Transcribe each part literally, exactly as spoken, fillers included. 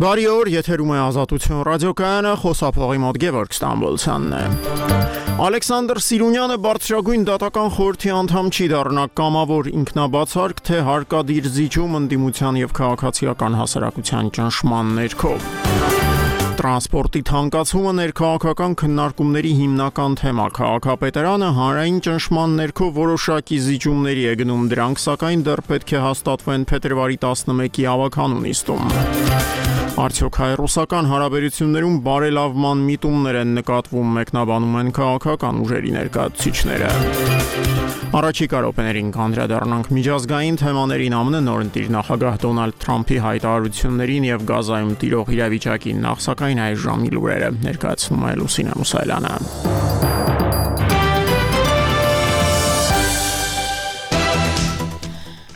Բարի օր, եթերում է Ազատություն ռադիոկայանը, խոսափողի մոտ Գևորգ Ստամբոլցյանն է։ Ալեքսանդր Սիրունյանը բարձրագույն դատական խորհրդի անդամ չի դառնա կամավոր ինքնաբացարկ, թե հարկադիր զիջում ընդդիմության եւ քաղաքացիական հասարակության ճնշման ներքո։ Տրանսպորտի թանկացումը ներքաղաքական քննարկումների հիմնական թեմա, քաղաքապետարանը հանրային ճնշման ներքո որոշակի զիջումների է գնում, դրանք սակայն դեռ պետք է հաստատվեն փետրվարի տասնմեկի ավագանուն նիստում։ Արդյոք հայ-ռուսական հարաբերություններում բարելավման միտումներ են նկատվում, մեկնաբանում են քաղաքական ուժերի ներկայացուցիչները։ Առաջիկա րոպեներին կանդրադառնանք միջազգային թեմաներին, ԱՄՆ նորընտիր նախագահ Դոնալդ Թրամփի հայտարարություններին եւ Գազայում տիրող իրավիճակին, նախ սակայն այս ժամի լուրերը ներկայացնում է Լուսինե Մուսայելյանը։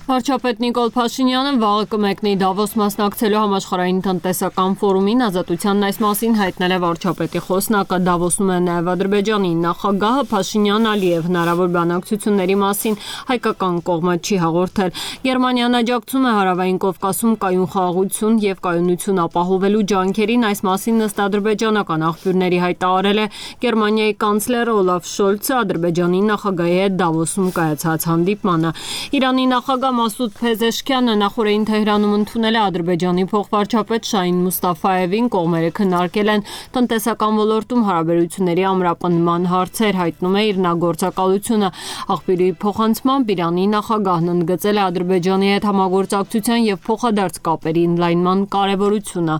Վարչապետ Նիկոլ Փաշինյանը վաղը կմեկնի Դավոս մասնակցելու համաշխարհային տնտեսական ֆորումին, Ազատությանն այս մասին հայտնել է վարչապետի խոսնակը։ Դավոսում է նաև Ադրբեջանի նախագահը, Փաշինյանն Ալիև հնարավոր բանակցությունների մասին հայկական կողմը չի հաղորդել։ Գերմանիան աջակցում է Հարավային Կովկասում կայուն խաղաղություն եւ կայունություն ապահովելու ջանքերին, այս մասին ըստ ադրբեջանական աղբյուրների հայտարարել է Գերմանիայի կանցլեր Օլաֆ Շոլցը Ադրբեջանի նախագահի հետ Դավոսում կայացած հանդիպմանը։ Իրանի նախագահ Մասուդ Փեզեշքյանը նախորդին Թեհրանում ընդունել է Ադրբեջանի փոխվարչապետ Շահին Մուստաֆայևին, կողմերը քննարկել են տնտեսական ոլորտում հարաբերությունների ամրապնդման հարցեր, հայտնում է իր նախագործակալությունը։ Աղբյուրի փոխանցմամբ Իրանի նախագահն ընդգծել է Ադրբեջանի հետ համագործակցության եւ փոխադարձ կապերի ընդլայնման կարեւորությունը։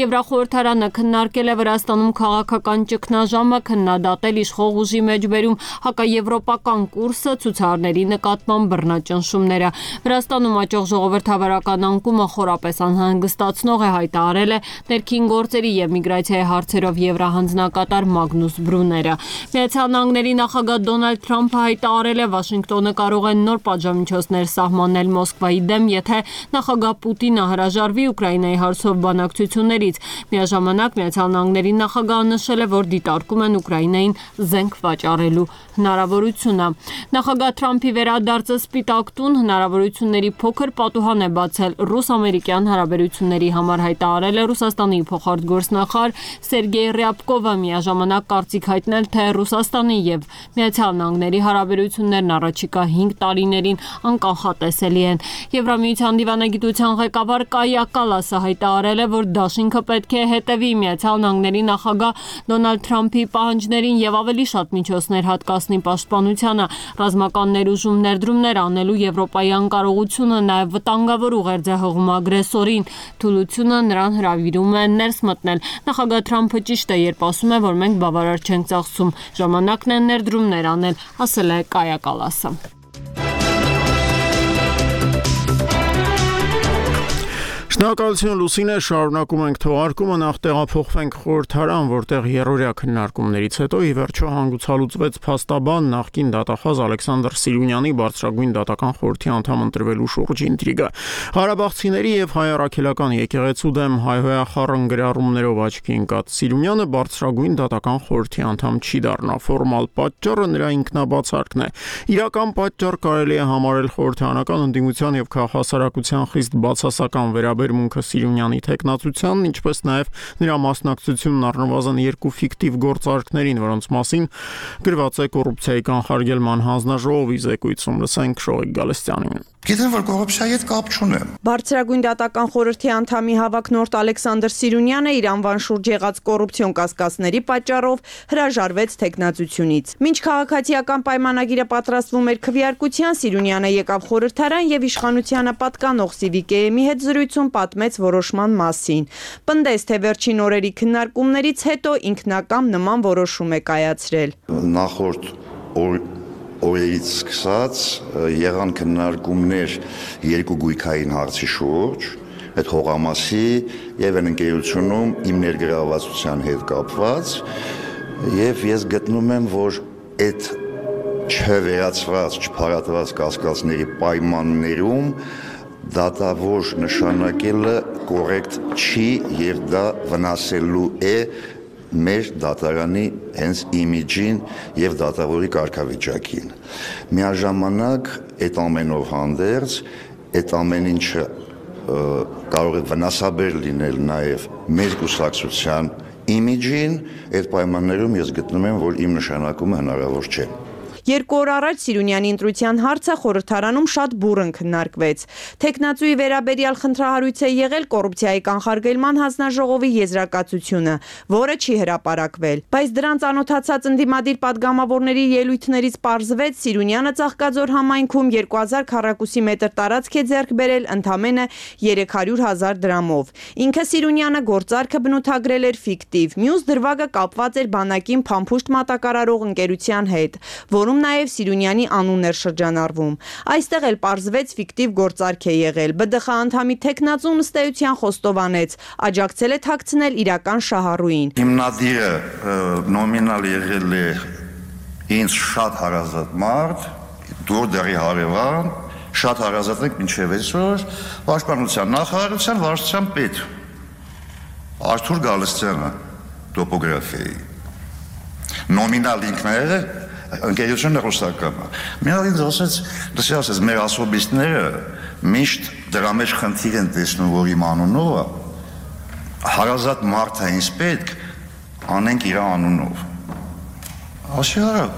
Եվրախորհրդարանը քննարկել է Վրաստանում քաղաքական ճգնաժամը, քննադատել իշխող ուժի մեջբերում հակաեվրոպական կուրսը, ցուցարարների նկատմամբ բռնաճնշումները։ Վրաստանում աճող ժողովրդավարական անկումը խորապես անհանգստացնող է, հայտարարել է ներքին գործերի եւ միգրացիայի հարցերով եվրահանձնակատար Մագնուս Բրուները։ Միացյալ Նահանգների նախագահ Դոնալդ Թրամփը հայտարարել է, Վաշինգտոնը կարող է նոր պատժամիջոցներ սահմանել Մոսկվայի դեմ, եթե նախագահ Պուտինը հրաժարվի Ուկրաինայի հարցով բանակցություններից։ Միաժամանակ Միացյալ Նահանգների նախագահը նշել է, որ դիտարկում են Ուկրաինային զենք վաճառելու հնարավորությունը։ Նախագահ Թրամփի վերադարձը Սպիտակ տուն հնարավորությունների փոքր պատուհան է բացել ռուս-ամերիկյան հարաբերությունների համար, հայտարարել է Ռուսաստանի փոխարտգործնախարար Սերգեյ Ռյաբկովը, միաժամանակ կարծիք հայտնել, թե Ռուսաստանի եւ Միացյալ Նահանգների հարաբերություններն առաջիկա հինգ տարիներին անկանխատեսելի են։ Եվրամիության դիվանագիտության ղեկավար Կայա Կալասը հայտարարել է, որ դաշինքը պետք է հետևի Միացյալ Նահանգների նախագահ Դոնալդ Թրամփի պահանջներին եւ ավելի շատ միջոցներ հատկացնի պաշտպանությանը, ռազմական ներուժում ներդրումներ անելու Եվրոպայի անկարողությունը նաև վտանգավոր ուղերձ է հղում ագրեսորին, թուլությունը նրան հրավիրում է ներս մտնել։ Նախագահ Թրամփը ճիշտ է, երբ ասում է, որ մենք բավարար չենք ծախսում, ժամանակն է ներդրումներ անել, ասել է Կայա Կալասը։ Շնորհակալություն Լուսինե, շարունակում ենք թողարկումը, նախ տեղափոխվենք խորհրդարան, որտեղ երրորդյա քննարկումներից հետո ի վերջո հանգուցալուծվեց փաստաբան նախկին դատախազ Ալեքսանդր Սիրունյանի բարձրագույն դատական խորհրդի անդամ ընտրվելու շուրջ ինտրիգը։ Ղարաբաղցիների եւ հայ-առաքելական եկեղեցու դեմ հայհոյախառն գրառումներով աչքի ընկած Սիրունյանը բարձրագույն դատական խորհրդի անդամ չի դառնա։ Ֆորմալ պատճառը նրա ինքնաբացարկն է։ Իրական պատճառ կարելի է համարել խորհրդարանական ընդդիմության եւ քաղաքասարակության խիստ բացասական վերաբերմունքը Սիրունյանի թեկնածությանն, ինչպես նաև նրա մասնակցությունն առնվազն երկու ֆիկտիվ գործարքներին, որոնց մասին գրված է կոռուպցիայի կանխարգելման հանձնաժողովի զեկույցում։ Լսենք Շողիկ Գալստյանին։ Գիտեմ, որ կոռուպցիայի հետ կապ չունեմ։ Բարձրագույն դատական խորհրդի անդամի հավակնորդ Ալեքսանդր Սիրունյանը իր անվան շուրջ եղած կոռուպցիոն կասկածների պատճառով հրաժարվեց թեկնածությունից։ Մինչ քաղաքացիական պայմանագիրը պատրաստվում էր քվեարկության, Սիրունյանը եկավ խորհրդարան եւ իշխանությանը պատկանող Սիվիկեեմի հետ զրույցում պատմեց որոշման մասին։ Պնդեց, թե վերջին օրերի քննարկումներից հետո ինքնակամ նման որոշում է կայացրել։ Նախորդ օր օրերից սկսած եղան քննարկումներ երկու գույքային հարցի շուրջ, այդ հողամասի եւ այն ընկերությունում իմ ներգրավվածության հետ կապված, եւ ես գտնում եմ, որ այդ չվերացված, չփարատված կասկածների պայմաններում դատավոր նշանակելը կոռեկտ չի եւ դա վնասելու է մեր դատարանի հենց իմիջին եւ դատավորի կարգավիճակին։ Միաժամանակ այդ ամենով հանդերձ այդ ամեն ինչը կարող է վնասաբեր լինել նաև մեր կուսակցության իմիջին, այդ պայմաններում ես գտնում եմ, որ իմ նշանակումը հնարավոր չէ։ Երկու օր առաջ Սիրունյանի ընտրության հարցը խորհրդարանում շատ բուռն քննարկվեց։ Թեկնածուի վերաբերյալ խնդրահարույց է եղել կոռուպցիայի կանխարգելման հանձնաժողովի եզրակացությունը, որը չի հրապարակվել։ Բայց դրան ծանոթացած ընդդիմադիր падգամավորների ելույթներից պարզվեց Սիրունյանը Ծաղկաձոր համայնքում երկու հազար քառակուսի մետր տարածք է ձեռք բերել ընդամենը երեք հարյուր հազար դրամով։ Ինքը Սիրունյանը գործարքը բնութագրել էր ֆիկտիվ, մյուս դրվագը կապված էր բանակին փամփուշտ մատակարարող ընկերության հետ, որում նաև Սիրունյանի անունն էր շրջանառվում։ Այստեղ էլ պարզվեց ֆիկտիվ գործարք է եղել։ Բ Դ Խ անդամի թեկնածուն ըստ էության խոստովանեց, աջակցել է թաքցնել իրական շահառուին։ Հիմնադիրը նոմինալ եղել է ինձ շատ հարազատ մարդ, դուր դերի հարևան, շատ հարազատ եք մինչև այսօր, պաշտպանության նախարարության վարչության պետ Արթուր Գալստյանը տոպոգրաֆիայի։ Նոմինալ ինքն է ընկերությունը ռուսականը։ Միալ ինձ ասեց, դասի ասեց, մեր ասոբիստները միշտ դրա մեջ խնդիր են տեսնում, որ իմ անունով հարազատ մարդ է ինձ պետք, անենք իր անունով։ Ասի արա,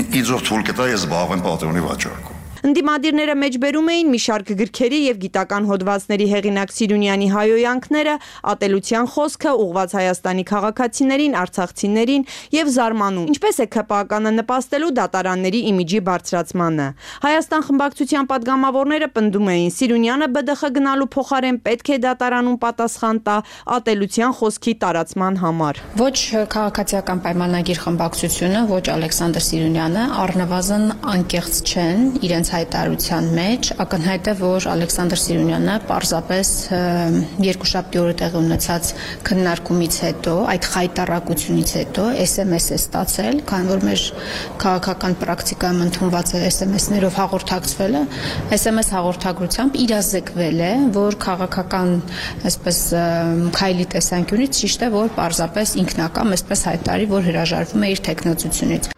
ինձ ով թույլ կտա ես զբաղվեմ պատրոնի վաճառքով։ Ընդդիմադիրները մեջբերում էին մի շարք գրքերի եւ գիտական հոդվածների հեղինակ Սիրունյանի հայոյանքները, ատելության խոսքը ուղղված Հայաստանի քաղաքացիներին, արցախցիներին եւ զարմանում, ինչպես է K P A K-ը նպաստելու դատարանների իմիջի բարձրացմանը։ Հայաստան խմբակցության падգամավորները պնդում էին, Սիրունյանը B D Խ գնալու փոխարեն պետք է դատարանում պատասխան տա ատելության խոսքի տարածման համար։ Ոչ քաղաքացիական պայմանագիր խմբակցությունը, ոչ Ալեքսանդր Սիրունյանը առնվազն անկեղծ չեն իրենց հայտարարության մեջ, ակնհայտ է, որ Ալեքսանդր Սիրունյանը պարզապես երկուշաբթի օրը տեղի ունեցած քննարկումից հետո, այդ խայտառակությունից հետո S M S է ստացել, քանի որ մեր քաղաքական պրակտիկայում ընդունված է S M S-ներով հաղորդակցվելը, S M S հաղորդագրությամբ իրազեկվել է, որ քաղաքական, այսպես քայլի տեսանկյունից ճիշտ է, որ պարզապես ինքնակամ, այսպես հայտարարի, որ հրաժարվում է իր թեկնածությունից։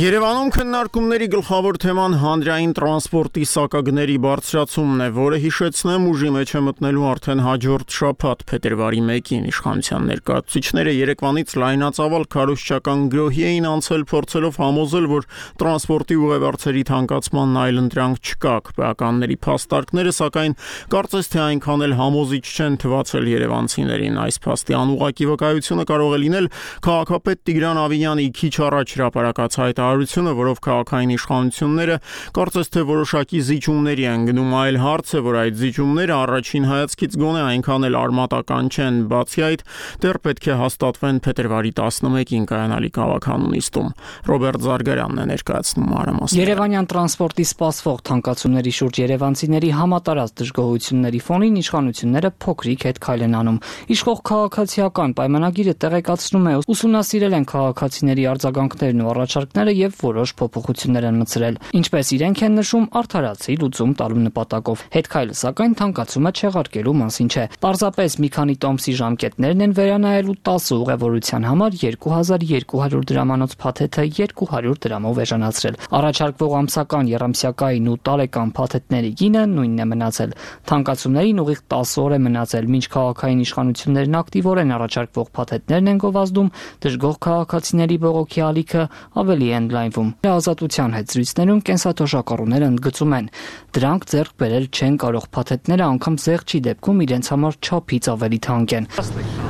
Երևանում քննարկումների գլխավոր թեման հանրային տրանսպորտի սակագների բարձրացումն է, որը հիշեցնեմ ուժի մեջ է մտնելու արդեն հաջորդ շաբաթ փետրվարի մեկին իշխանության ներկայացուցիչները Երևանից լայնածավալ քարոզչական գրոհի էին անցել փորձելով համոզել, որ տրանսպորտի ուղևորների թանկացմանն այլընտրանք չկա։ Քպեականների փաստարկները սակայն կարծես թե այնքան էլ համոզիչ չեն թվացել երևանցիներին։ Այս փաստի անուղղակի վկայությունը կարող է լինել քաղաքապետ Տիգրան Ավիյանի քիչ առաջ հրապարակած հայտարարությունը, որով քաղաքային իշխանությունները կարծես թե որոշակի զիջումների են գնում, այլ հարց է, որ այդ զիջումները առաջին հայացքից գոնե այնքան էլ արմատական չեն, բացի այդ դեռ պետք է հաստատվեն փետրվարի տասնմեկին կայանալի քաղաքանուն նիստում։ Ռոբերտ Զարգարյանն է ներկայացնում մանրամասները։ Երևանյան տրանսպորտի սպասվող թանկացումների շուրջ երևանցիների համատարած դժգոհությունների ֆոնին իշխանությունները փոքրիկ հետ քայլ են անում։ Իշխող քաղաքացիական պայմանագիրը տեղեկացնում է, ուսումնասիրել են քաղաքացիների արձագանքներն ու առաջարկները եւ որոշ փոփոխություններ են մտցրել, ինչպես իրենք են նշում, արդարացի լուծում տալու նպատակով։ Հետքայլը սակայն թանկացումը չեղարկելու մասին չէ։ Պարզապես մի քանի տոմսի ժամկետներն են վերանայելու տասը ուղևորության համար երկու հազար երկու հարյուր դրամանոց փաթեթը երկու հարյուր դրամով էժանացրել։ Առաջարկվող ամսական, եռամսյակային ու տարեկան փաթեթների գինը նույնն է մնացել։ Թանկացումներին ուղիղ տասը օր է մնացել, մինչ քաղաքային իշխանություններն ակտիվորեն առաջարկվող փաթեթներն են գովազդում, դժգոհ քաղաքացիների բողոքի ալիքը ավելի է ընդլայնվում։ Ազատության հետ զրույցներում կենսաթոշակառուները ընդգծում են, դրանք ձեռք բերել չեն կարող, փաթեթները անգամ զեղչի դեպքում իրենց համար չափից ավելի թանկ են։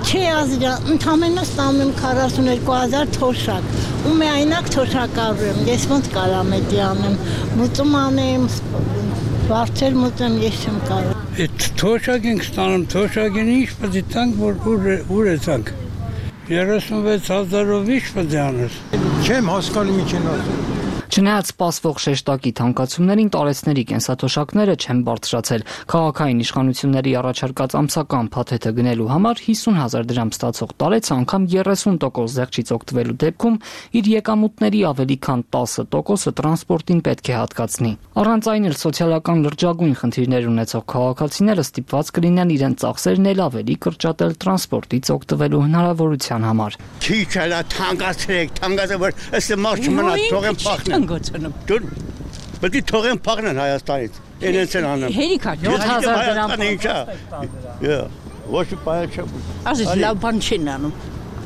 Չէ, ազիրա, ընդամենը ստանում եմ քառասունուերկու հազար թոշակ, ու միայնակ թոշակառու եմ, ես ոնց կարամ էդի անեմ, մուծում անեմ, վարձել մուծեմ, ես չեմ կարող։ Այդ թոշակ ենք ստանում, թոշակին ինչ պետք է տանք, որ ուր է տանք։ երեսունվեց հազարով ինչ պետք է անես։ Չեմ հասկանում ինչ են ասում։ Չնայած սպասվող շեշտակի թանկացումներին տարեցների կենսաթոշակները չեն բարձրացել։ Քաղաքային իշխանությունների առաջարկած ամսական փաթեթը գնելու համար հիսուն հազար դրամ ստացող տարեցը անգամ երեսուն տոկոս զեղչից օգտվելու դեպքում իր եկամուտների ավելի քան տասը տոկոսը տրանսպորտին պետք է հատկացնի։ Առանց այն էլ սոցիալական լրջագույն խնդիրներ ունեցող քաղաքացիները ստիպված կլինեն իրենց ծախսերն էլ ավելի կրճատել տրանսպորտից օգտվելու հնարավորության համար։ Չի չելա թանկացրեք, թանկացը որ ըստ մարդ չմնա թողեն փախնեն։ Դու պետք է թողեն փախնեն Հայաստանից։ Իրենց են անում։ Հերիքա յոթ հազար դրամ։ Ինչա։ Յա, ոչ պայել չէ։ Ասես լավ բան չեն անում։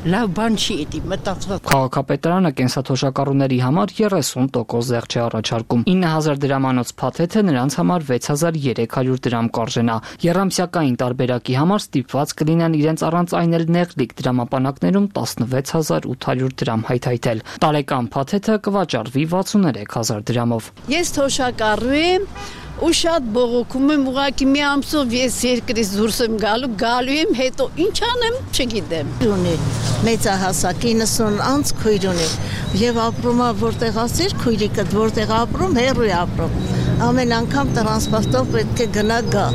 Լավ բան չի էդի մտածված։ Քաղաքապետարանը կենսաթոշակառուների համար երեսուն տոկոս զեղչ է առաջարկում։ ինը հազար դրամանոց փաթեթը նրանց համար վեց հազար երեք հարյուր դրամ կարժենա։ Եռամսյակային տարբերակի համար ստիպված կլինեն իրենց առանց այն էլ նեղլիկ դրամապանակներում տասնվեց հազար ութ հարյուր դրամ հայթայթել։ Տարեկան փաթեթը կվաճառվի վաթսուներեք հազար դրամով։ Ես թոշակառու եմ ու շատ բողոքում եմ, ուղղակի մի ամսով ես երկրից դուրս եմ գալու, գալու եմ, հետո ինչ անեմ, չգիտեմ։ Ունի մեծահասակ իննսուն անց քույր ունի եւ ապրում է որտեղ ասիր քույրիկը որտեղ ապրում հեռու է ապրում։ Ամեն անգամ տրանսպորտով պետք է գնա գա։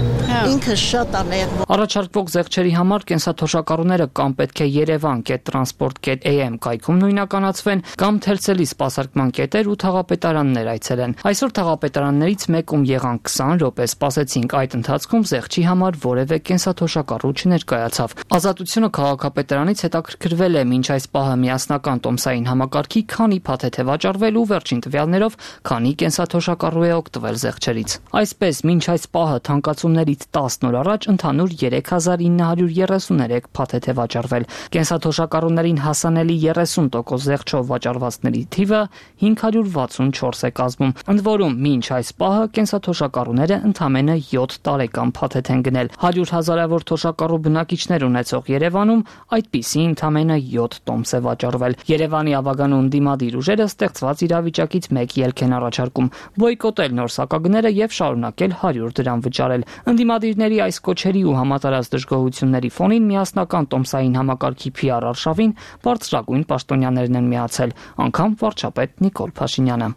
Ինքը շատ անեղ։ Առաջարկվող զեղչերի համար կենսաթոշակառուները կամ պետք է երևան կետ տրանսպորտ կետ էյ էմ կայքում նույնականացվեն, կամ թերցելի սպասարկման կետեր ու թաղապետարաններ այցելեն։ Այսօր թաղապետարաններից մեկում եղան քսան րոպե սպասեցինք, այդ ընթացքում զեղչի համար որևէ կենսաթոշակառու չներկայացավ։ Ազատությունը քաղաքապետարանից հետաքրքրվել է մինչ այս պահը միասնական տոմսային համակարգի քանի փաթեթ է վաճառվել ու վերջին տվյալներով քանի կենսաթոշակառու է օգտվել զեղչերից։ Այսպես, մինչ այս պահը թանկացումներից տասն օր առաջ ընդհանուր երեք հազար ինը հարյուր երեսուներեք փաթեթ է վաճառվել։ Կենսաթոշակառուներին հասանելի երեսուն տոկոս զեղչով վաճառվածների թիվը հինգ հարյուր վաթսունչորս է կազմում։ Ընդ որում, մինչ այս պահը կենսաթոշակառուները ընդամենը յոթ տարեկան փաթեթ են գնել։ հարյուր հազարավոր թոշակառու բնակիչներ ունեցող Երևանում այդպիսի ընդամենը յոթ տոմս է վաճառվել։ Երևանի ավագանու ընդդիմադիր ուժերը ստեղծված իրավիճակից մեկ ելք են առաջարկում՝ բոյկոտել նոր սակագները եւ շարունակել հարյուր դրամ վճարել։ Ընդդիմադիրների այս կոչերի ու համատարած դժգոհությունների ֆոնին միասնական տոմսային համակարգի փի ար արշավին բարձրագույն պաշտոնյաներն են միացել, անգամ վարչապետ Նիկոլ Փաշինյանը։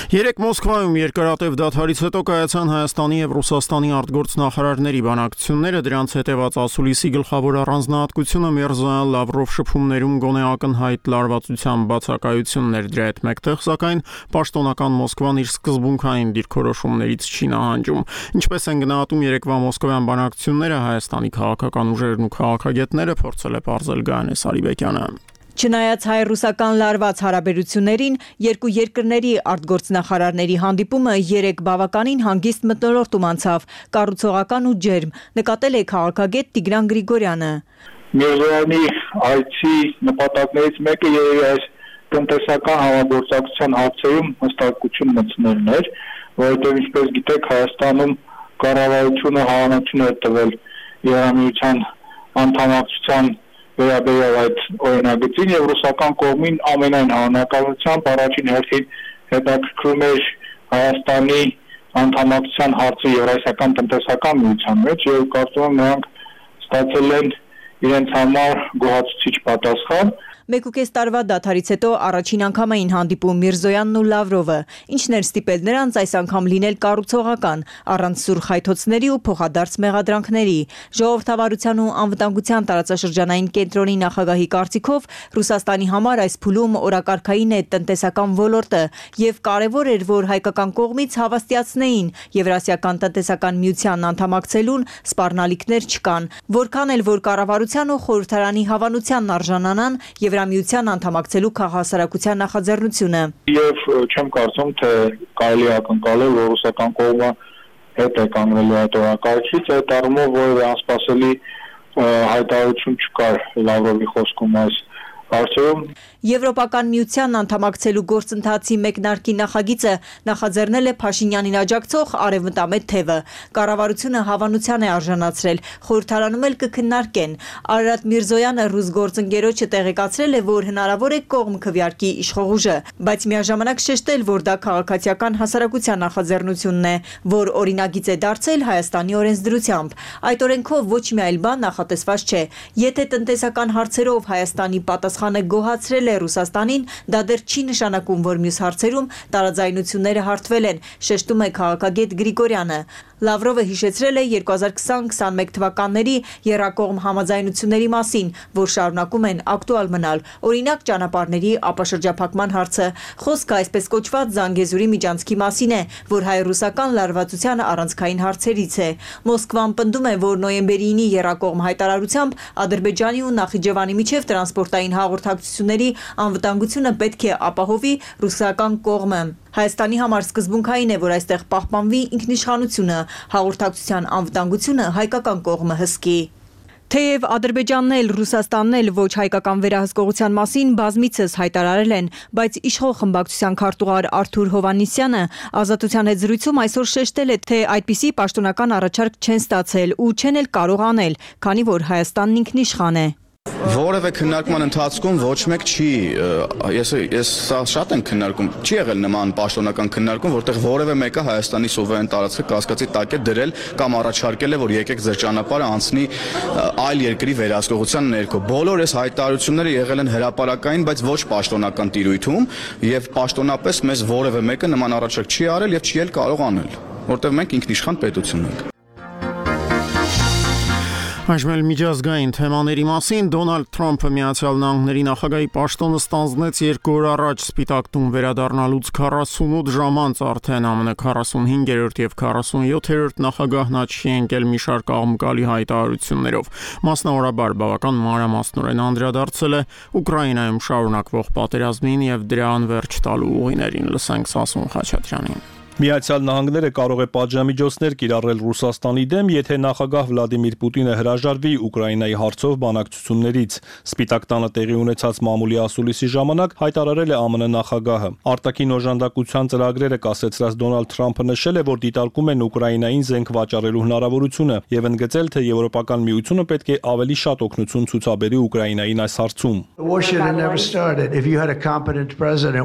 Երեք Մոսկվայում երկարատև դադարից հետո կայացան Հայաստանի եւ Ռուսաստանի արտգործնախարարների բանակցությունները, դրանց հետեւած ասուլիսի գլխավոր առանձնահատկությունը Միրզոյան Լավրով շփումներում գոնե ակնհայտ լարվածության բացակայություններ, դրա հետ մեկտեղ սակայն պաշտոնական Մոսկվան իր սկզբունքային դիրքորոշումներից չի նահանջում։ Ինչպես են գնահատում երեկվա մոսկովյան բանակցությունները Հայաստանի քաղաքական ուժերն ու քաղաքագետները, փորձել է պարզել Գայանե Սարիբեկյանը։ Չնայած հայ-ռուսական լարված հարաբերություններին, երկու երկրների արտգործնախարարների հանդիպումը երեք բավականին հանգիստ մթնոլորտում անցավ, կառուցողական ու ջերմ, նկատել է քաղաքագետ Տիգրան Գրիգորյանը։ Միրզոյանի այցի նպատակներից մեկը երևի այս տնտեսական համագործակցության հարցերում հստակություն մտցնելն էր, որովհետև ինչպես գիտեք, Հայաստանում կառավարությունը հավանություն է տվել Եվրամիության անդամակցության վերաբերյալ այդ օրինագծին եւ ռուսական կողմին ամենայն հավանականությամբ առաջին հերթին հետաքրքրում էր Հայաստանի անդամակցության հարցը Եվրասիական տնտեսական միության մեջ եւ կարծում եմ նրանք ստացել են իրենց համար գոհացուցիչ պատասխան։ Մեկուկես տարվա դադարից հետո առաջին անգամ էին հանդիպում Միրզոյանն ու Լավրովը, ինչն էր ստիպել նրանց այս անգամ լինել կառուցողական, առանց սուր խայթոցների ու փոխադարձ մեղադրանքների։ Ժողովրդավարության ու անվտանգության տարածաշրջանային կենտրոնի նախագահի կարծիքով Ռուսաստանի համար այս փուլում օրակարգային է տնտեսական ոլորտը եւ կարեւոր էր, որ հայկական կողմից հավաստիացնեին Եվրասիական տնտեսական միության անդամակցելուն սպառնալիքներ չկան, որքան էլ որ կառավարության ու խորհրդարանի հավանությանն արժանանան Եվրամիության անդամակցելու քաղաքասարակության նախաձեռնությունը։ Եվ չեմ կարծում, թե կարելի է ակնկալել, որ ռուսական կողմը հետ է կանգնելու այդ օրակարգից, այդ առումով որևէ անսպասելի հայտարարություն չկար Լավրովի խոսքում այս հարցերում։ Եվրոպական միության անդամակցելու գործընթացի մեկնարկի նախագիծը նախաձեռնել է Փաշինյանին աջակցող արևմտամետ թևը։ Կառավարությունը հավանության է արժանացրել, խորհրդարանում էլ կքննարկեն։ Արարատ Միրզոյանը ռուս գործընկերոջը տեղեկացրել է, որ հնարավոր է կողմ քվեարկի իշխող ուժը, բայց միաժամանակ շեշտել, որ դա քաղաքացիական հասարակության նախաձեռնությունն է, որ օրինագիծ է դարձել Հայաստանի օրենսդրությամբ։ Այդ օրենքով ոչ մի այլ բան նախատեսված չէ։ Եթե տնտեսական հարցերով Հայաստանի պատասխանը գոհացրել է Ռուսաստանին, դա դեռ չի նշանակում, որ մյուս հարցերում տարաձայնությունները հարթվել են, շեշտում է քաղաքագետ Գրիգորյանը։ Լավրովը հիշեցրել է երկու հազար քսան քսանմեկ թվականների եռակողմ համաձայնությունների մասին, որ շարունակում են ակտուալ մնալ, օրինակ ճանապարհների ապաշրջափակման հարցը։ Խոսքը այսպես կոչված Զանգեզուրի միջանցքի մասին է, որ հայ-ռուսական լարվածության առանցքային հարցերից է։ Մոսկվան պնդում է, որ նոյեմբերի ինի եռակողմ հայտարարությամբ Ադրբեջանի ու Նախիջևանի միջև տրանսպորտային հաղորդակցությունների անվտանգությունը պետք է ապահովի ռուսական կողմը։ Հայաստանի համար սկզբունքային է, որ այստեղ պահպանվի ինքնիշխանությունը, հաղորդակցության անվտանգությունը հայկական կողմը հսկի։ Թեև Ադրբեջանն էլ, Ռուսաստանն էլ ոչ հայկական վերահսկողության մասին բազմիցս հայտարարել են, բայց իշխող խմբակցության քարտուղար Արթուր Հովհաննիսյանը Ազատության հետ զրույցում այսօր շեշտել է, թե այդպիսի պաշտոնական առաջարկ չեն ստացել ու չեն էլ կարող անել, քանի որ Հայաստանն ինքնիշխան է։ Որևէ քննարկման ընթացքում ոչ մեկ չի, ես ես սա շատ եմ քննարկում, չի եղել նման պաշտոնական քննարկում, որտեղ որևէ մեկը Հայաստանի սուվերեն տարածքը կասկածի տակ է դրել կամ առաջարկել է, որ եկեք ձեր ճանապարհը անցնի այլ երկրի վերահսկողության ներքո։ Բոլոր այս հայտարարությունները եղել են հրապարակային, բայց ոչ պաշտոնական տիրույթում, եւ պաշտոնապես մեզ որևէ մեկը նման առաջարկ չի արել եւ չի էլ կարող անել, որտեղ մենք ինքնիշխան պետություն ենք։ Այժմ միջազգային թեմաների մասին Դոնալդ Թրամփը Միացյալ Նահանգների նախագահի պաշտոնը ստանձնեց երկու օր առաջ Սպիտակ տուն վերադառնալուց քառասունութ ժամ անց արդեն ԱՄՆ քառասունհինգերորդ եւ քառասունյոթերորդ նախագահն աչքի ընկել մի շարք աղմկալի հայտարարություններով։ Մասնավորաբար բավական մանրամասնորեն անդրադարձել է Ուկրաինայում շարունակվող պատերազմին եւ դրա անվերջ տալու ուղիներին։ Լսենք Սասուն Խաչատրյանին։ Միացյալ Նահանգները կարող է պատժամիջոցներ կիրառել Ռուսաստանի դեմ, եթե նախագահ Վլադիմիր Պուտինը հրաժարվի Ուկրաինայի հարցով բանակցություններից։ Սպիտակ տանը տեղի ունեցած մամուլի ասուլիսի ժամանակ հայտարարել է ԱՄՆ նախագահը։ Արտաքին օժանդակության ծրագրերը կասեցրած Դոնալդ Թրամփը նշել է, որ դիտարկում են Ուկրաինային զենք վաճառելու հնարավորությունը եւ ընդգծել, թե Եվրոպական միությունը պետք է ավելի շատ օգնություն ցուցաբերի Ուկրաինային այս հարցում։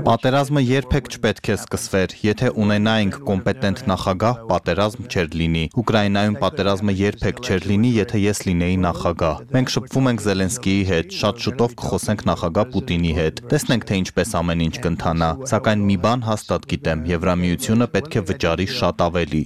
Պատերազմը երբեք չպետք է սկսվեր, եթե ունենա կոմպետենտ նախագահ, պատերազմ չէր լինի։ Ուկրաինայում պատերազմը երբեք չէր լինի, եթե ես լինեի նախագահ։ Մենք շփվում ենք Զելենսկիի հետ, շատ շուտով կխոսենք նախագահ Պուտինի հետ։ Տեսնենք, թե ինչպես ամեն ինչ կընթանա։ Սակայն մի բան հաստատ գիտեմ, Եվրամիությունը պետք է վճարի շատ ավելի։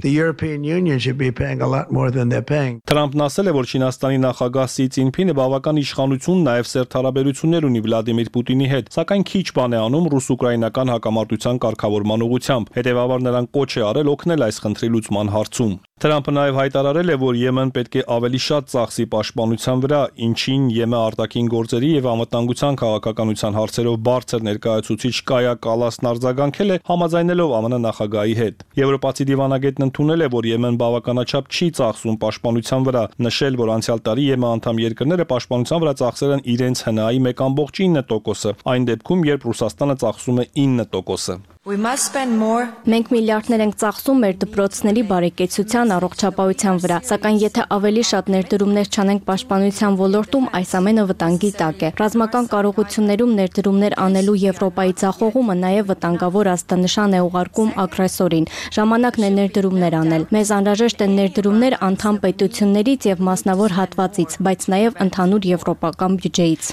Թրամփն ասել է, որ Չինաստանի նախագահ Սի Ցինփինը բավական իշխանություն, նաև սերտ հարաբերություններ ունի Վլադիմիր Պուտինի հետ, սակայն քիչ բան է անում ռուս-ուկրաինական հակամարտության կարգավորման ուղղությամբ։ Հետևաբար նրան կոչ է արել օգնել այս խնդրի լուծման հարցում։ Թրամփը նաև հայտարարել է, որ Եմեն պետք է ավելի շատ ծախսի պաշտպանության վրա, ինչին ԵՄ արտաքին գործերի եւ անվտանգության քաղաքականության հարցերով բարձր ներկայացուցիչ Կայա Կալասն արձագանքել է, համաձայնելով ԱՄՆ նախագահի հետ։ Եվրոպացի դիվանագետն ընդունել է, որ Եմեն բավականաչափ չի ծախսում պաշտպանության վրա, նշել, որ անցյալ տարի ԵՄ անդամ երկրները պաշտպանության վրա ծախսել են իրենց հնայի մեկ կόμ ինը տոկոսը, այն դեպքում, երբ Ռուսաստանը ծախսում է ինը տոկոսը։ Մենք միլիարդներ ենք ծախսում մեր դպրոցների բարեկեցության, առողջապահության վրա, սակայն եթե ավելի շատ ներդրումներ չանենք պաշտպանության ոլորտում, այս ամենը վտանգի տակ է։ Ռազմական կարողություններում ներդրումներ անելու Եվրոպայի ձախողումը նաև վտանգավոր ազդանշան է ուղարկում ագրեսորին։ Ժամանակն է ներդրումներ անել։ Մեզ անհրաժեշտ են ներդրումներ անդամ պետություններից եւ մասնավոր հատվածից, բայց նաև ընդհանուր եվրոպական բյուջեից։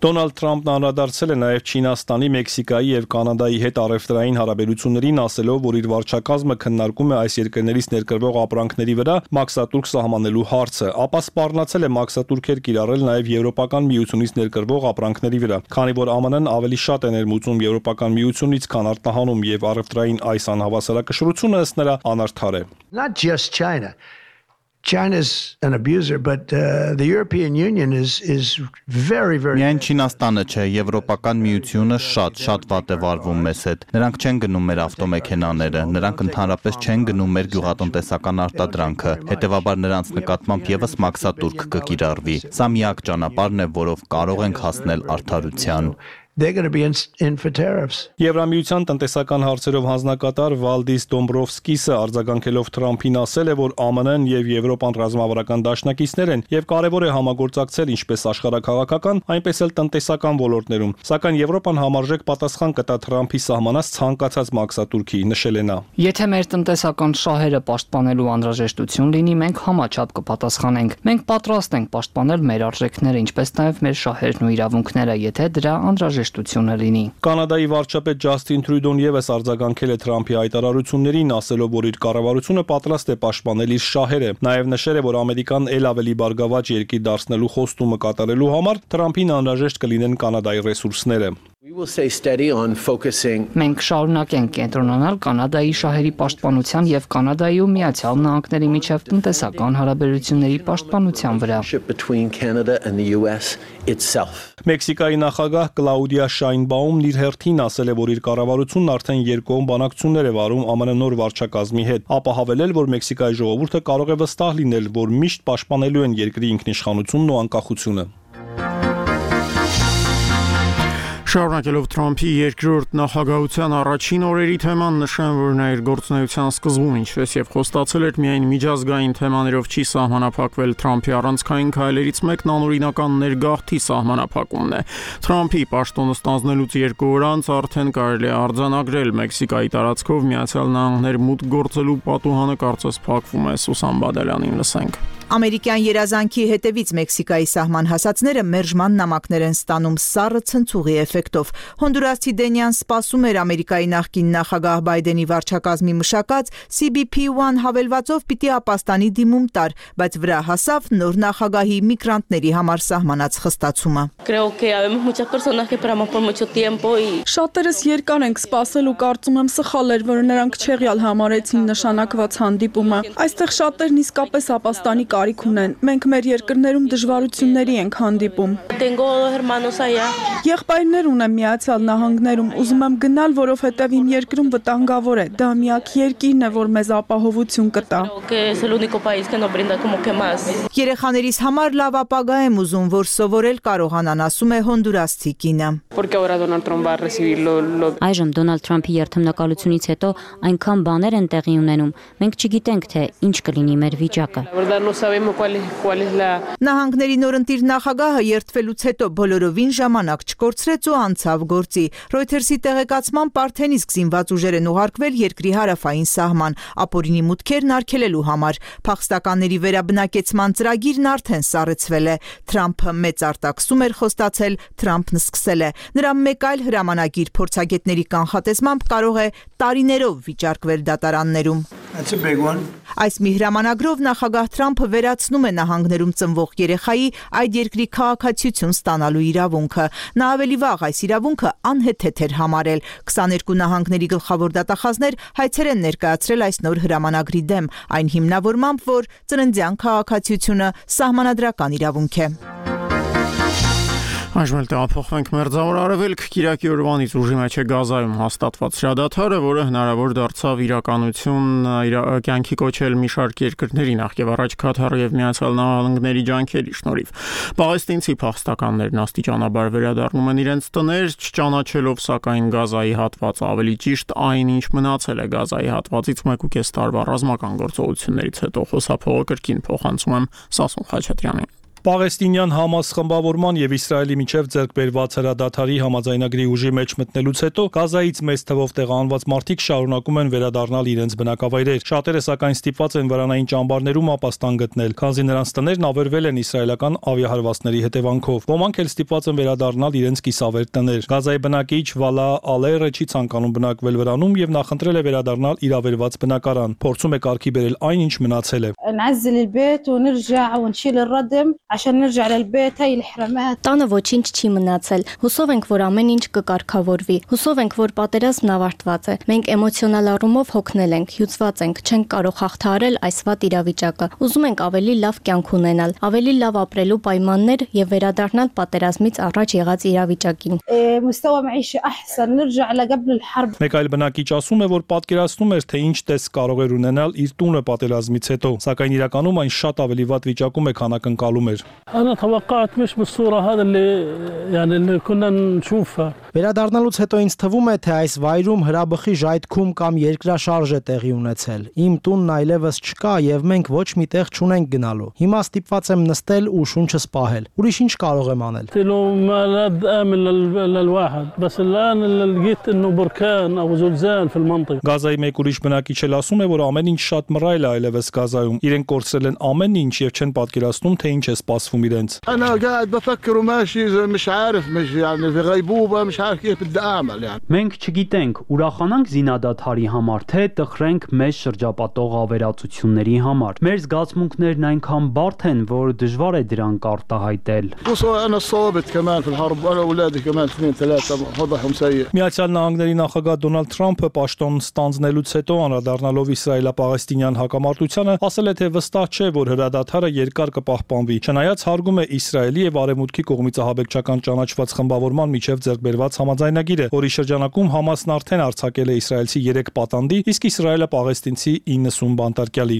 Դոնալդ Թրամփն անդրադարձել է նաև Չինաստանի, Մեքսիկայի եւ Կանադայի հետ առևտրային հարաբերություններին, ասելով, որ իր վարչակազմը քննարկում է այս երկրներից ներկրվող ապրանքների վրա մաքսատուրք սահմանելու հարցը, ապա սպառնացել է մաքսատուրքեր կիրառել նաև Եվրոպական միությունից ներկրվող ապրանքների վրա, քանի որ ԱՄՆ-ն ավելի շատ է ներմուծում Եվրոպական միությունից, քան արտահանում, եւ առևտրային այս անհավասարակշռությունը ըստ նրա անարդար է։ Not just China. China's an abuser, but uh, the European Union is is very very Միայն Չինաստանը չէ, Եվրոպական միությունը շատ շատ վատ է վարվում մեզ հետ։ Նրանք չեն գնում մեր ավտոմեքենաները, նրանք ընդհանրապես չեն գնում մեր գյուղատնտեսական արտադրանքը, հետևաբար նրանց նկատմամբ եւս մաքսատուրք կկիրառվի։ Սա միակ ճանապարհն է, որով կարող ենք հասնել արդարության։ They're going to be in, in for tariffs. Եվրամիության տնտեսական հարցերով հանձնակատար Վալդիս Դոմբրովսկիսը արձագանքելով Թրամփին ասել է, որ ԱՄՆ-ն եւ Եվրոպան ռազմավարական դաշնակիցներ են եւ կարեւոր է համագործակցել ինչպես աշխարհաքաղաքական, այնպես էլ տնտեսական ոլորտներում։ Սակայն Եվրոպան համարժեք պատասխան կտա Թրամփի սահմանած ցանկացած մաքսատուրքի, նշել է նա։ Եթե մեր տնտեսական շահերը պաշտպանելու անհրաժեշտություն լինի, մենք համաչափ կպատասխանենք։ Մենք պատրաստ ենք պաշտպանել մեր արժեքները, ինչպես նաեւ մեր շահերն ու իրավունքները, եթե դրա անհրաժեշտ լինի։ Կանադայի վարչապետ Ջասթին Թրյուդոն եւս արձագանքել է Թրամփի հայտարարություններին, ասելով, որ իր կառավարությունը պատրաստ է պաշտպանել իր շահերը։ Նաեւ նշել է, որ Ամերիկան ել ավելի բարգավաճ երկիր դարձնելու խոստումը կատարելու համար Թրամփին անհրաժեշտ կլինեն Կանադայի ռեսուրսները։ Մենք շարունակենք կենտրոնանալ Կանադայի շահերի պաշտպանության եւ Կանադայի ու Միացյալ Նահանգների միջև տնտեսական հարաբերությունների պաշտպանության վրա։ Մեքսիկայի նախագահ Կլաուդիա Շայնբաումն իր հերթին ասել է, որ իր կառավարությունն արդեն երկկողմ բանակցություններ է վարում Ամն նոր վարչակազմի հետ, ապա հավելել, որ Մեքսիկայի ժողովուրդը կարող է վստահ լինել, որ միշտ պաշտպանելու են երկրի ինքնիշխանությունն ու անկախությունը։ Շարունակելով Թրամփի երկրորդ նախագահության առաջին օրերի թեման, նշեմ, որ նա իր գործունեության սկզբում, ինչպես եւ խոստացել էր, միայն միջազգային թեմաներով չի սահմանափակվել Թրամփի առանցքային քայլերից մեկն անօրինական ներգաղթի սահմանափակումն է։ Թրամփի պաշտոնը ստանձնելուց երկու օր անց արդեն կարելի է արձանագրել Մեքսիկայի տարածքով Միացյալ Նահանգներ մուտք գործելու պատուհանը կարծես փակվում է։ Սուսան Բադալյանին լսենք։ Ամերիկյան երազանքի հետևից Մեքսիկայի սահման հասածները մերժման նամակներ են ստանում սառը ցնցուղի էֆեկտով։ Հոնդուրասի Դենյան սպասում էր Ամերիկայի նախկին նախագահ Բայդենի վարչակազմի մշակած C B P one հավելվածով պիտի ապաստանի դիմում տար, բայց վրա հասավ նոր նախագահի միգրանտների համար սահմանած խստացումը։ Շատերս երկար ենք սպասել ու կարծում եմ սխալ էր, որ նրանք չեղյալ համարեցին նշանակված հանդիպումը։ Այստեղ շատերն իսկապես ապաստանի կարիք ունեն։ Մենք մեր երկրներում դժվարությունների ենք հանդիպում։ Եղբայրներ ունեմ Միացյալ Նահանգներում, ուզում եմ գնալ, որովհետև իմ երկրում վտանգավոր է։ Դա միակ երկիրն է, որ մեզ ապահովություն կտա։ Երեխաներիս համար լավ ապագա եմ ուզում, որ սովորել կարողանան, ասում է հոնդուրասցի կինը։ Այժմ Դոնալդ Թրամփի երթմնակալությունից հետո այնքան բաներ են տեղի ունենում, մենք չգիտենք, թե ինչ կլինի մեր վիճակը։ Նահանգների նորընտիր նախագահը երթվելուց հետո բոլորովին ժամանակ չկորցրեց ու անցավ գործի։ Ռոյթերսի տեղեկացմամբ արդեն իսկ զինված ուժեր են ուղարկվել երկրի հարավային սահման, ապօրինի մուտքերն արգելելու համար։ Փախստականների վերաբնակեցման ծրագիրն արդեն սառեցվել է։ Թրամփը մեծ արտաքսում էր խոստացել, Թրամփն սկսել է։ Նրա մեկ այլ հրամանագիր փորձագետների կանխատեսմամբ կարող է տարիներով վիճարկվել դատարաններում։ Այս մի հրամանագրով նախագահ Թրամփը վերացնում է նահանգներում ծնվող երեխայի այդ երկրի քաղաքացիություն ստանալու իրավունքը։ Նա ավելի վաղ այս իրավունքը անհեթեթ էր համարել։ քսաներկու նահանգների գլխավոր դատախազներ հայցեր են ներկայացրել այս նոր հրամանագրի դեմ, այն հիմնավորմամբ, որ ծննդյան քաղաքացիությունը սահմանադրական իրավունք է։ Այժմ էլ տեղափոխվենք Մերձավոր Արևելք։ Կիրակի օրվանից ուժի մեջ է Գազայում հաստատված հրադադարը, որը հնարավոր դարձավ իրականություն կյանքի կոչել մի շարք երկրների, նախ եւ առաջ Քաթարի եւ Միացյալ Նահանգների ջանքերի շնորհիվ։ Պաղեստինցի փախստականներն աստիճանաբար վերադառնում են իրենց տներ, չճանաչելով սակայն Գազայի հատվածը, ավելի ճիշտ այն, ինչ մնացել է Գազայի հատվածից մեկ ու կես տարվա ռազմական գործողություններից հետո։ Խոսափողը կրկին փոխանցում եմ Սասուն Խաչատրյանին։ Պաղեստինյան Համաս խմբավորման եւ Իսրայելի միջև ձեռքբերված հրադադարի համաձայնագրի ուժի մեջ մտնելուց հետո Գազայից մեծ թվով տեղահանված մարդիկ շարունակում են վերադառնալ իրենց բնակավայրեր։ Շատերը սակայն ստիպված են վրանային ճամբարներում ապաստան գտնել, քանզի նրանց տներն ավերվել են իսրայելական ավիահարվածների հետևանքով։ Ոմանք էլ ստիպված են վերադառնալ իրենց կիսավեր տներ։ Գազայի բնակիչ Վալա Ալերը չի ցանկանում բնակվել վրանում եւ նախընտրել է վերադառնալ իր ավերված բնակարան։ Փորձում է կարգի բերել այն, ինչ մնացել է։ Տանը ոչինչ չի մնացել։ Հուսով ենք, որ ամեն ինչ կկարգավորվի։ Հուսով ենք, որ պատերազմն ավարտված է։ Մենք էմոցիոնալ առումով հոգնել ենք, հյուծված ենք, չենք կարող հաղթահարել այս վատ իրավիճակը։ Ուզում ենք ավելի լավ կյանք ունենալ, ավելի լավ ապրելու պայմաններ եւ վերադառնալ պատերազմից առաջ եղած իրավիճակին։ Մեկ այլ բնակիչ ասում է, որ պատկերացնում էր, թե ինչ տեսք կարող էր ունենալ իր տունը պատերազմից հետո, սակայն իրականում այն շատ ավելի վատ վիճակում է, քան ակնկալում էր։ أنا توقعت مش بالصورة هذا اللي يعني اللي كنا نشوفها. Վերադառնալուց հետո ինձ թվում է, թե այս վայրում հրաբխի ժայթքում կամ երկրաշարժ է տեղի ունեցել։ Իմ տունն այլևս չկա եւ մենք ոչ մի տեղ չունենք գնալու։ Հիմա ստիպված եմ նստել ու շունչս պահել։ Ուրիշ ինչ կարող եմ անել։ Գազայի մեկ ուրիշ բնակիչ էլ ասում է, որ ամեն ինչ շատ մռայլ է այլևս Գազայում։ Իրենք կորցրել են ամեն ինչ եւ չեն պատկերացնում, թե ինչ է սպասվում իրենց։ أنا قاعد بفكر وماشي مش عارف مش يعني في غيبوبة مش عارف كيف بدي أعمل يعني. Մենք չգիտենք, ուրախանանք զինադադարի համար, թե տխրենք մեզ շրջապատող ավերածությունների համար։ Մեր զգացմունքներն այնքան բարդ են, որ դժվար է դրանք արտահայտել։ أنا صابت كمان في الحرب وأنا أولادي كمان اثنين ثلاثة وضعهم سيء. Միացյալ Նահանգների նախագահ Դոնալդ Թրամփը պաշտոն ստանձնելուց հետո անդրադառնալով իսրայելա-պաղեստինյան հակամարտությանը ասել է, թե վստահ չէ, որ հրադադարը երկար կպահպանվի։ Չնայած հարգում է Իսրայելի եւ Արևմուտքի կողմից ահաբեկչական ճանաչված խմբավորման միջև ձեռքբերված համաձայնագիրը, որի շրջանակում Համասն արդեն արձակել է իսրայելցի երեք պատանդի, իսկ Իսրայելը պաղեստինցի իննսուն բանտարկյալի։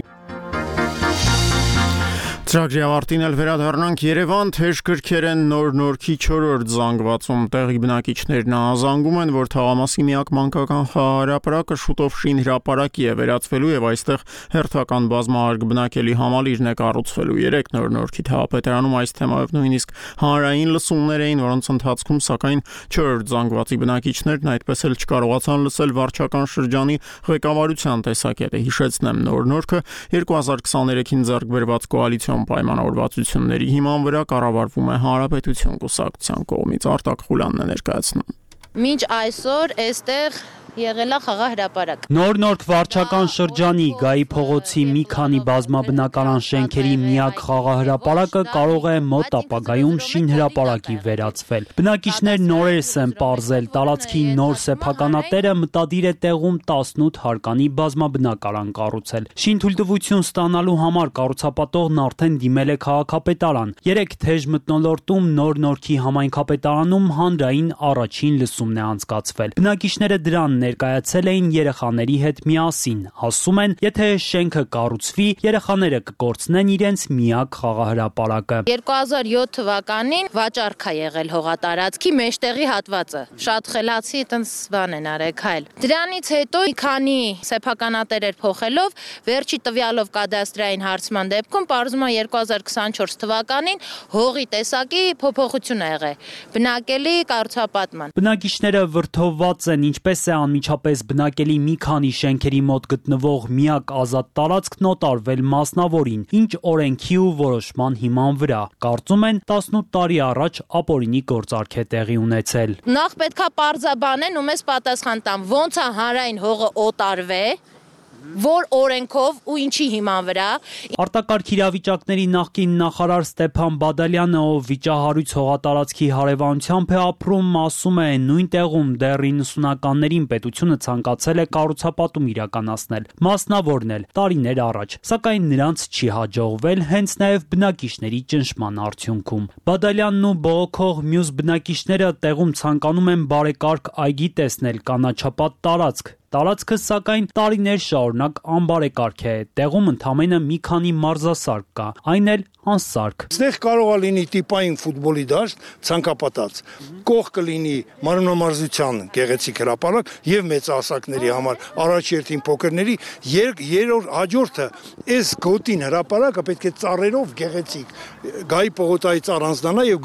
Ծրագրի ավարտին էլ վերադառնանք Երևան, թեժ կրքեր են նոր նորքի չորրորդ զանգվածում, տեղի բնակիչներն ահազանգում են, որ թաղամասի միակ մանկական խաղահրապարակը շուտով շինհրապարակի է վերածվելու եւ այստեղ հերթական բազմահարկ բնակելի համալիրն է կառուցվելու։ Երեք նոր նորքի թաղապետարանում այս թեմայով նույնիսկ հանրային լսումներ էին, որոնց ընթացքում սակայն չորրորդ զանգվածի բնակիչներն այդպես էլ չկարողացան լսել վարչական շրջանի ղեկավարության տեսակետը։ Հիշեցնեմ, նոր նորքը երկու հազար քսաներեքին ձեռք բերված կոալիցիոն պայմանավորվածությունների հիման վրա կառավարվում է Հանրապետություն կուսակցության կողմից։ Արտակ Խուլյանն է ներկայացնում։ Մինչ այսօր այստեղ եղել է խաղահրապարակ։ Նոր նորք վարչական շրջանի Գայի փողոցի մի քանի բազմաբնակարան շենքերի միակ խաղահրապարակը կարող է մոտ ապագայում շինհրապարակի վերածվել։ Բնակիչներն նորերս են պարզել, տարածքի նոր սեփականատերը մտադիր է տեղում տասնութ հարկանի բազմաբնակարան կառուցել։ Շինթույլտվություն ստանալու համար կառուցապատողն արդեն դիմել է քաղաքապետարան։ Երեք թեժ մթնոլորտում նոր նորքի համայնքապետարանում հանրային առաջին լսումն է անցկացվել։ Բնակիչները դրան ներկայացել էին երեխաների հետ միասին, ասում են, եթե շենքը կառուցվի, երեխաները կկորցնեն իրենց միակ խաղահրապարակը։ երկու հազար յոթ թվականին վաճառք է եղել հողատարածքի մեջտեղի հատվածը։ Շատ խելացի այտենց բան են արել, քայլ։ Դրանից հետո մի քանի սեփականատերեր փոխելով, վերջի տվյալով կադաստրային հարցման դեպքում պարզվում է երկու հազար քսանչորս թվականին հողի տեսակի փոփոխություն ա եղել։ Բնակելի կառուցապատման։ Բնակիչները վրդովված են, ինչպես է անմիջապես բնակելի մի քանի շենքերի մոտ գտնվող միակ ազատ տարածքն օտարվել մասնավորին, ինչ օրենքի ու որոշման հիման վրա։ Կարծում են տասնութ տարի առաջ ապօրինի գործարք է տեղի ունեցել։ Նախ պետքա պարզաբանեն ու մեզ պատասխան տան, ոնց է հանրային հողը օտարվե, որ օրենքով ու ինչի հիման վրա։ Արտակարգ իրավիճակների նախկին նախարար Ստեփան Բադալյանը, ով վիճահարույց հողատարածքի հարևանությամբ է ապրում, ասում է, նույն տեղում դեռ իննսունականներին պետությունը ցանկացել է կառուցապատում իրականացնել, մասնավորն էլ տարիներ առաջ, սակայն նրանց չի հաջողվել հենց նաև բնակիչների ճնշման արդյունքում։ Բադալյանն ու բողոքող մյուս բնակիչները տեղում ցանկանում են բարեկարգ այգի տեսնել, կանաչապատ տարածք։ Տարածքը սակայն տարիներ շարունակ անբարեկարգ է, տեղում ընդամենը մի քանի մարզասարք կա, այն էլ անսարք։ Այստեղ կարող է լինի տիպային ֆուտբոլի դաշտ, ցանկապատած, կող կլինի մարմնամարզության գեղեցիկ հրապարակ եւ մեծահասակների համար առաջերտին փոքրների, երրորդ հաջորդը այս գոտին հրապարակը պետք է ծառերով գեղեցիկ Գայի պողոտայից առանձնանա եւ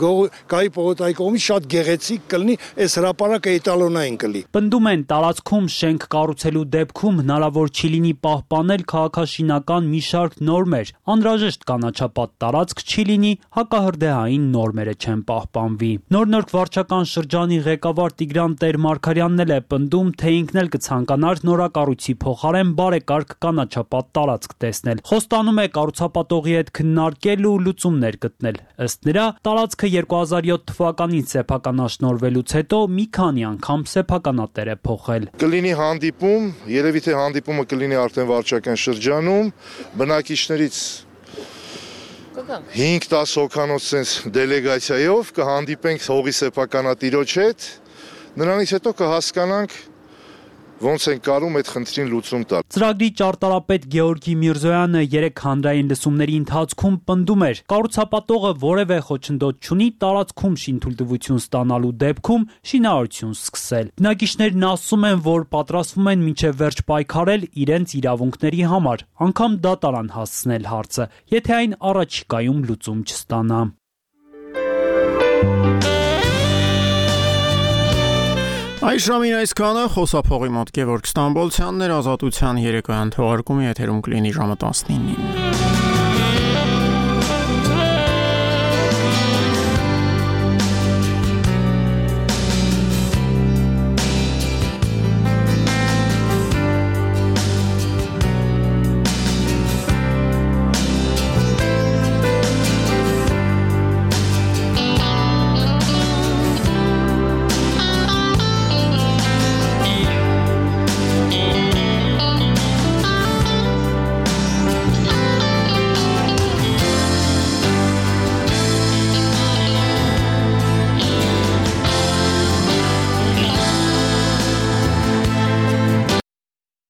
Գայի պողոտայի կողմից շատ գեղեցիկ կլինի, այս հրապարակը էտալոնային կլինի։ Պնդում են տարածքում շենք կառուցելու դեպքում հնարավոր չի լինի պահպանել քաղաքաշինական մի շարք նորմեր, անհրաժեշտ կանաչապատ տարածք չի լինի, հակահրդեհային նորմերը չեն պահպանվի։ Նոր նորք վարչական շրջանի ղեկավար Տիգրան Տեր-Մարգարյանն էլ է պնդում, թե ինքն էլ կցանկանար նորակառույցի փոխարեն բարեկարգ կանաչապատ տարածք տեսնել։ Խոստանում է կառուցապատողի հետ քննարկել ու լուծումներ գտնել։ Ըստ նրա, տարածքը երկու հազար յոթ թվականին սեփականաշնորհվելուց հետո մի քանի անգամ սեփականատեր է փոխել։ Կլինի հանդիպում, երևի թե հանդիպումը կլինի արդեն վարչական շրջանում, բնակիչներից հինգ տաս հոգանոց sense դելեգացիայով կհանդիպենք հողի սեփականատիրոջ հետ, նրանից հետո կհասկանանք ոնց են կարում այդ խնդրին լուծում տալ։ Ծրագրի ճարտարապետ Գեորգի Միրզոյանը երեք հանրային լսումների ընթացքում պնդում էր, կառուցապատողը որևէ խոչընդոտ չունի տարածքում շինթույլտվություն ստանալու դեպքում շինարարություն սկսել։ Բնակիչներն ասում են, որ պատրաստվում են մինչև վերջ պայքարել իրենց իրավունքների համար, անգամ դատարան հասցնել հարցը, եթե այն առաջիկայում լուծում չստանա։ Այս ժամին այսքանը, խոսափողի մոտ Գևորգ Ստամբոլցյանն էր, Ազատության երեկոյան թողարկումի եթերում կլինի ժամը տասնինին։